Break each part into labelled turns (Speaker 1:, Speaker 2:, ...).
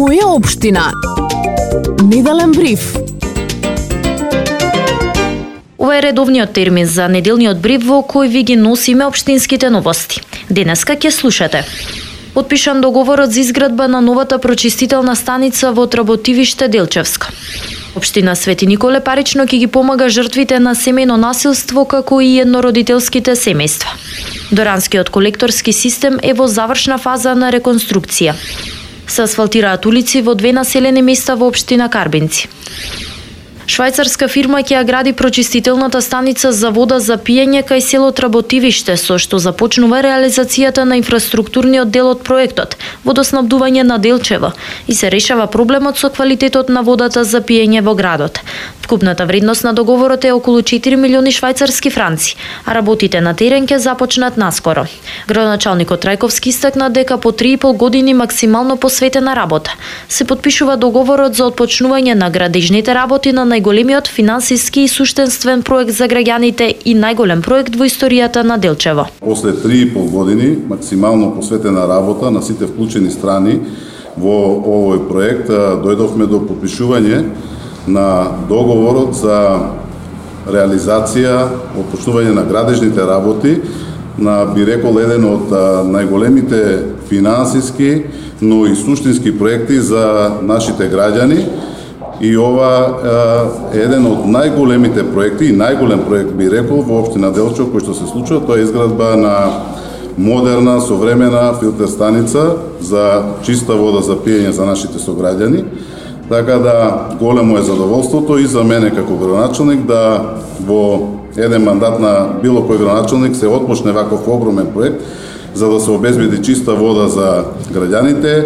Speaker 1: Моја општина. Неделен бриф.
Speaker 2: Ова е редовниот термин за неделниот бриф во кој ви ги носиме општинските новости. Денеска ќе слушате. Потпишан договорот за изградба на новата прочистителна станица во Тработивиште Делчевска. Општина Свети Николе парично ќе ги помага жртвите на семејно насилство како и еднородителските семејства. Доранскиот колекторски систем е во завршна фаза на реконструкција. Се асфалтираат улици во 2 населени места во општина Карбинци. Швајцарска фирма ќе ја гради прочистителната станица за вода за пиење кај село Тработивиште, со што започнува реализацијата на инфраструктурниот дел од проектот водоснабдување на Делчево и се решава проблемот со квалитетот на водата за пиење во градот. Вкупната вредност на договорот е околу 4 милиони швајцарски франци, а работите на терен ќе започнат наскоро. Градоначалникот Трајковски истакна дека по 3,5 години максимално посветена работа се потпишува договорот за отпочнување на градежните работи на најголемиот финансиски и суштенствен проект за граѓаните и најголем проект во историјата на Делчево.
Speaker 3: После 3,5 години максимално посветена работа на сите вклучени страни во овој проект дојдовме до потпишување на договорот за реализација, отпочнување на градежните работи на, би рекол, еден од најголемите финансиски, но и суштински проекти за нашите граѓани. И ова е еден од најголемите проекти и најголем проект, би рекол, во општина Делчево кој што се случува, тоа е изградба на модерна, современа филтер станица за чиста вода за пиење за нашите сограѓани. Така да големо е задоволството и за мене како градоначалник да во еден мандат на било кој градоначалник се отпочне ваков огромен проект за да се обезбеди чиста вода за граѓаните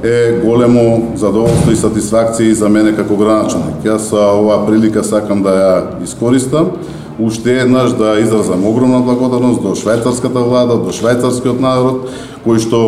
Speaker 3: е големо задоволство и сатисфакција за мене како градоначалник. Јас оваа прилика сакам да ја искористам уште еднаш да изразам огромна благодарност до швајцарската влада, до швајцарскиот народ, кој што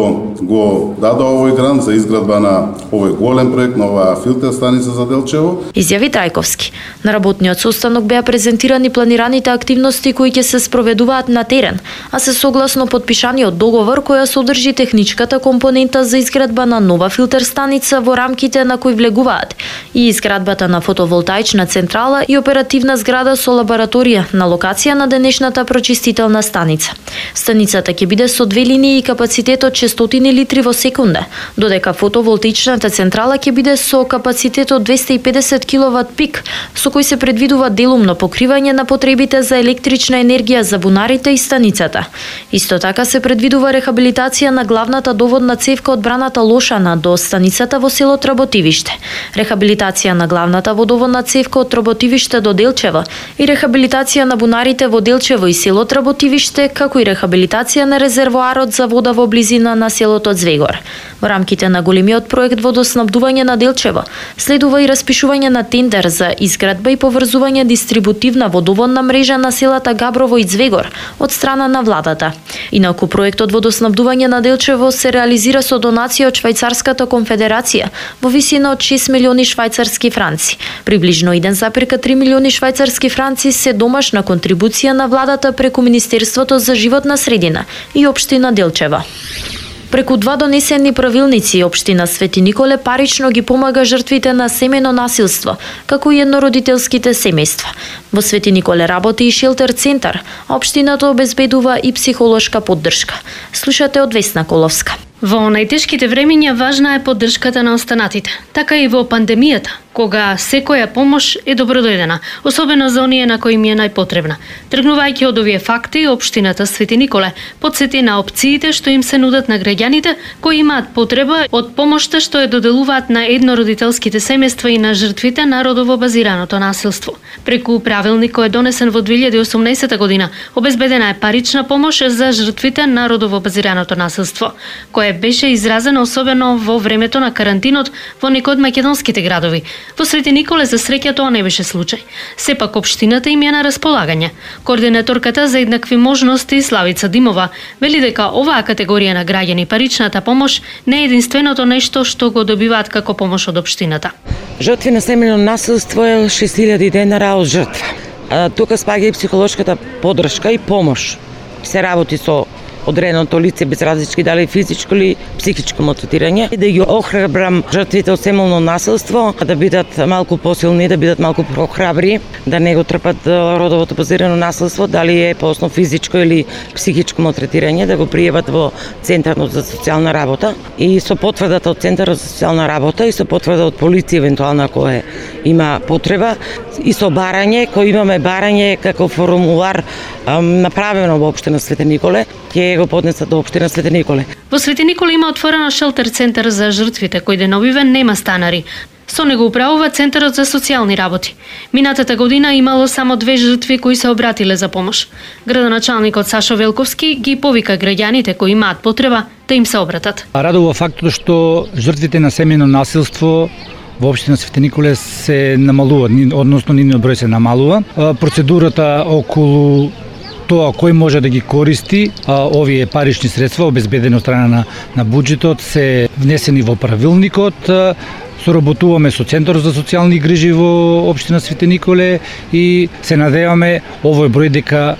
Speaker 3: го даде овој грант за изградба на овој голем проект на оваа филтер станица за Делчево.
Speaker 2: Изјави Трајковски. На работниот состанок беа презентирани планираните активности кои ќе се спроведуваат на терен, а се согласно потпишаниот договор која содржи техничката компонента за изградба на нова филтер станица во рамките на кој влегуваат и изградбата на фотоволтаична централа и оперативна зграда со лабораторија на локација на денешната прочистителна станица. Станицата ќе биде со 2 линии и капацитет од 600 литри во секунда, додека фотоволтаичната централа ќе биде со капацитет од 250 киловат пик, со кој се предвидува делумно покривање на потребите за електрична енергија за бунарите и станицата. Исто така се предвидува рехабилитација на главната доводна цевка од браната Лошана до станицата во село Тработивиште, рехабилитација на главната водоводна цевка од Тработивиште до Делчево и рехабилитација на бунарите во Делчево и село Тработивиште, како и рехабилитација на резервоарот за вода во близина на селото Звегор. Во рамките на големиот проект водоснабдување на Делчево следува и распишување на тендер за изградба и поврзување дистрибутивна водоводна мрежа на селата Габрово и Звегор од страна на владата. Инаку проектот водоснабдување на Делчево се реализира со донација од Швајцарската конфедерација во висина од 6 милиони швајцарски франци. Приближно 1,3 милиони швајцарски франци се домашна контрибуција на владата преку Министерството за животна средина и општина Делчево. Преку 2 донесени правилници, општина Свети Николе парично ги помага жртвите на семејно насилство, како и еднородителските семејства. Во Свети Николе работи и шелтер центар, а општината обезбедува и психолошка поддршка. Слушате од Весна Коловска.
Speaker 4: Во најтешките времиња важна е поддршката на останатите, така и во пандемијата, кога секоја помош е добродојдена, особено за оние на кои им е најпотребна. Тргнувајќи од овие факти, општината Свети Николе потсети на опциите што им се нудат на граѓаните кои имаат потреба од помошта што ја доделуваат на еднородителските семејства и на жртвите на родово базираното насилство. Преку правилник кој е донесен во 2018 година, обезбедена е парична помош за жртвите на родово базираното насилство, која беше изразена особено во времето на карантинот во некои од македонските градови. Во Свети Николе за среќа тоа не беше случај. Сепак општината им е на располагање. Координаторката за еднакви можности Славица Димова вели дека оваа категорија на граѓани паричната помош не е единственото нешто што го добиваат како помош од општината.
Speaker 5: Жртви на семејно насилство е 6000 денара од жртва. Тука спаѓа и психолошката поддршка и помош. Се работи со одреденото лице без различки дали физичко или психичко малтретирање и да ги охрабрам жртвите од семејно насилство да бидат малку посилни, да бидат малку прохрабри, да не го трпат родовото базирано насилство, дали е по основ физичко или психичко малтретирање, да го пријават во Центарот за социјална работа и со потврдата од Центарот за социјална работа и со потврда од полиција евентуално ако има потреба и со барање, кој имаме барање како формулар направено во општина Свети Николе, ќе го поднесат до општина Свети Николе.
Speaker 4: Во Свети Николе има отворено шелтер центар за жртвите кој деновиве нема станари. Со него управува Центарот за социјални работи. Минатата година имало само 2 жртви кои се обратиле за помош. Градоначалникот Сашо Велковски ги повика граѓаните кои имаат потреба да им се обратат.
Speaker 6: Радува фактот што жртвите на семејно насилство во општина Свети Николе се намалува, односно нивниот број се намалува. Процедурата околу тоа кој може да ги користи овие парични средства обезбедени од страна на буџетот се внесени во правилникот. Соработуваме со Центарот за социјални грижи во општина Свети Николе и се надеваме овој број дека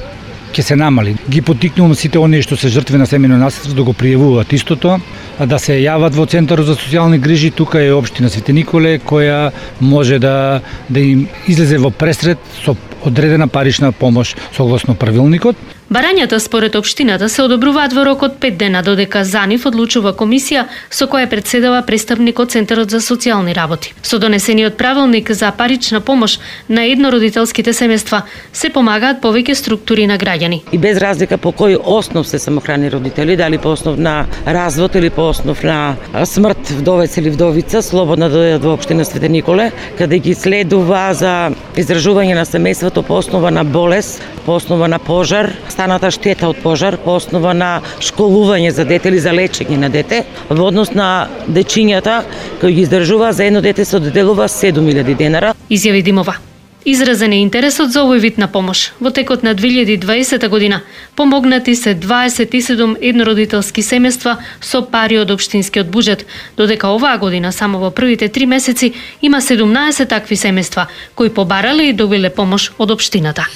Speaker 6: ќе се намали. Ги поттикнувам сите оние што се жртви на семејно насилство да го пријавуваат истото, да се јават во Центарот за социјални грижи. Тука е општина Свети Николе која може да им излезе во пресред со одредена парична помош согласно правилникот.
Speaker 4: Барањата според општината се одобруваат во рок од 5 дена, додека за нив одлучува комисија со која претседава представник од Центарот за социјални работи. Со донесениот правилник за парична помош на еднородителските семејства се помагаат повеќе структури на граѓани.
Speaker 5: И без разлика по кој основ се самохрани родители, дали по основ на развод или по основ на смрт вдовец или вдовица, слободно да дојдат во општина Свети Николе, каде ги следува за издржување на семејството по основа на болест, по основа на пожар, станата штета од пожар, по основа на школување за дете или за лечење на дете, во однос на дечињата кои ги издржува за едно дете се доделува 7.000 денара.
Speaker 4: Изјави Димова. Изразен е интересот за овој вид на помош. Во текот на 2020 година помогнати се 27 еднородителски семејства со пари од општинскиот буџет, додека оваа година само во првите 3 месеци има 17 такви семејства кои побарале и добиле помош од општината.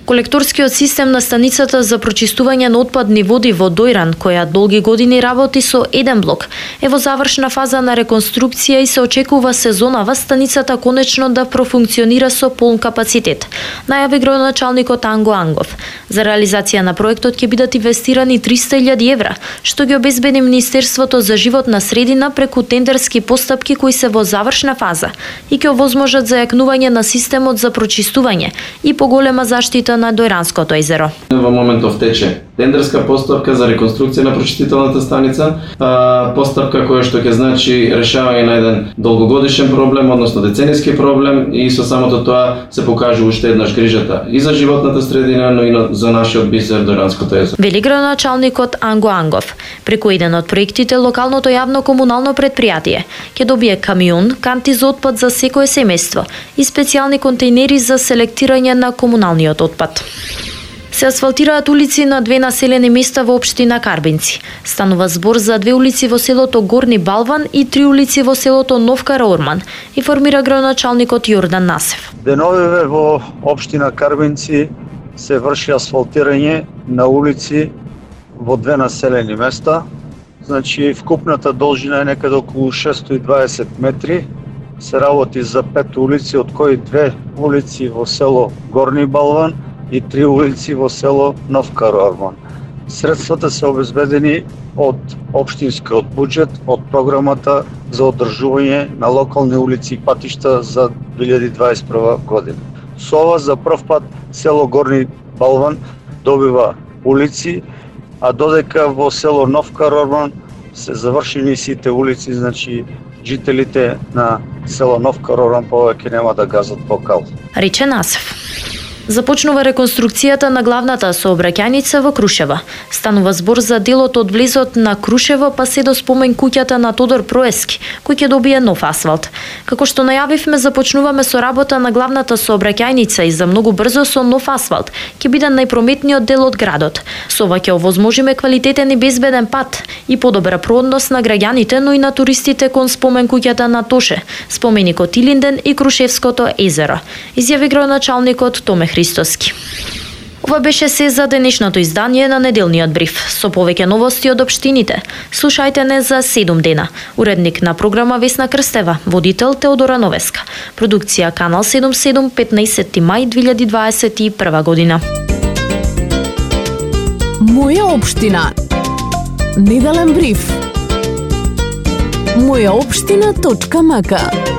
Speaker 2: Колекторскиот систем на станицата за прочистување на отпадни води во Дојран, која долги години работи со еден блок, е во завршна фаза на реконструкција и се очекува сезонава станицата конечно да профункционира со полн капацитет, најави градоначалникот Анго Ангов. За реализација на проектот ќе бидат инвестирани 300.000 евра, што ги обезбеди Министерството за животна средина преку тендерски постапки кои се во завршна фаза и ќе овозможат зајакнување на системот за прочистување и поголема заштита на Дојранското езеро.
Speaker 7: Во моментов тече тендерска постапка за реконструкција на прочистителната станица, постапка која што ќе значи решавање на еден долгогодишен проблем, односно деценијски проблем, и со самото тоа се покажува уште еднаш грижата и за животната средина, но и за нашиот бисер Дојранското езеро.
Speaker 2: Вели градоначалникот Анго Ангов. Преку еден од проектите локалното јавно комунално предпријатие ќе добие камион, канти за отпад за секое семејство и специјални контејнери за селектирање на комуналниот отпад. Се асфалтираат улици на 2 населени места во општина Карбинци. Станува збор за 2 улици во селото Горни Балван и 3 улици во селото Нов Караорман, информира градоначалникот Јордан Насев.
Speaker 8: Деновиве во општина Карбинци се врши асфалтирање на улици во 2 населени места. Значи, вкупната должина е некаде околу 620 метри. Се работи за 5 улици, од кои 2 улици во село Горни Балван и 3 улици во село Нов Караорман. Средствата се обезбедени од општинскиот буџет, од програмата за одржување на локални улици и патишта за 2021 година. Со ова за прв пат село Горни Балван добива улици, а додека во село Нов Караорман се завршени сите улици, значи жителите на село Нов Караорман повеќе нема да газат по кал.
Speaker 2: Рече Насев. Започнува реконструкцијата на главната сообраќајница во Крушево. Станува збор за делот од влезот на Крушево па се до спомен куќата на Тодор Проески, кој ќе добие нов асфалт. Како што најавивме, започнуваме со работа на главната сообраќајница и за многу брзо со нов асфалт ќе биде најпрометниот дел од градот. Со ова ќе овозможиме квалитетен и безбеден пат и подобра проодност на граѓаните, но и на туристите кон спомен куќата на Тоше, споменикот Илинден и Крушевското езеро, изјави градоначалникот Томе Христоски. Ова беше се за денешното издание на неделниот бриф. Со повеќе новости од општините. Слушајте не за 7 дена. Уредник на програма Весна Крстева, водител Теодора Новеска. Продукција Канал 77, 15 мај 2021 година.
Speaker 1: Моја општина. Неделен бриф. Мојаопштина.мк